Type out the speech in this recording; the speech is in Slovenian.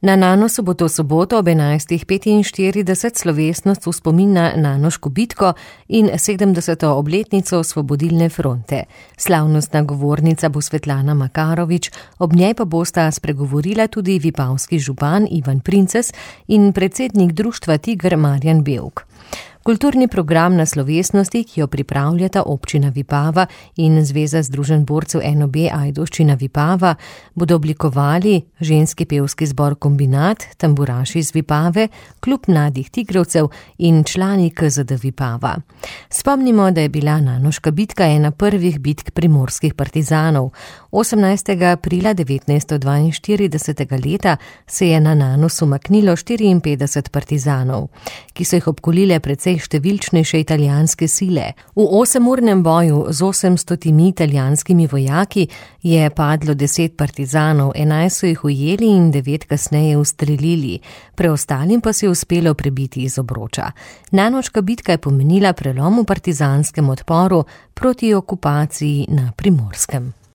Na Nanosu bo to soboto ob 11.45 slovesnost v spomin na Nanoško bitko in 70. obletnico Osvobodilne fronte. Slavnostna govornica bo Svetlana Makarovič, ob njej pa bosta spregovorila tudi vipavski župan Ivan Princes in predsednik društva Tiger Marjan Bevk. Kulturni program na slovesnosti, ki jo pripravljata občina Vipava in Zveza združenj borcev NOB Ajdovščina Vipava, bodo oblikovali ženski pevski zbor Kombinat, tamburaši iz Vipave, klub mladih tigrovcev in člani KZD Vipava. Spomnimo, da je bila Nanoška bitka ena prvih bitk primorskih partizanov. 18. aprila 1942. leta se je na Nanosu umaknilo 54 partizanov, ki so jih obkolile precej številčnejše italijanske sile. V 8-urnem boju z 800 italijanskimi vojaki je padlo 10 partizanov, 11 so jih ujeli in 9 kasneje ustrelili, preostalim pa se je uspelo prebiti iz obroča. Nanoška bitka je pomenila prelom v partizanskem odporu proti okupaciji na Primorskem.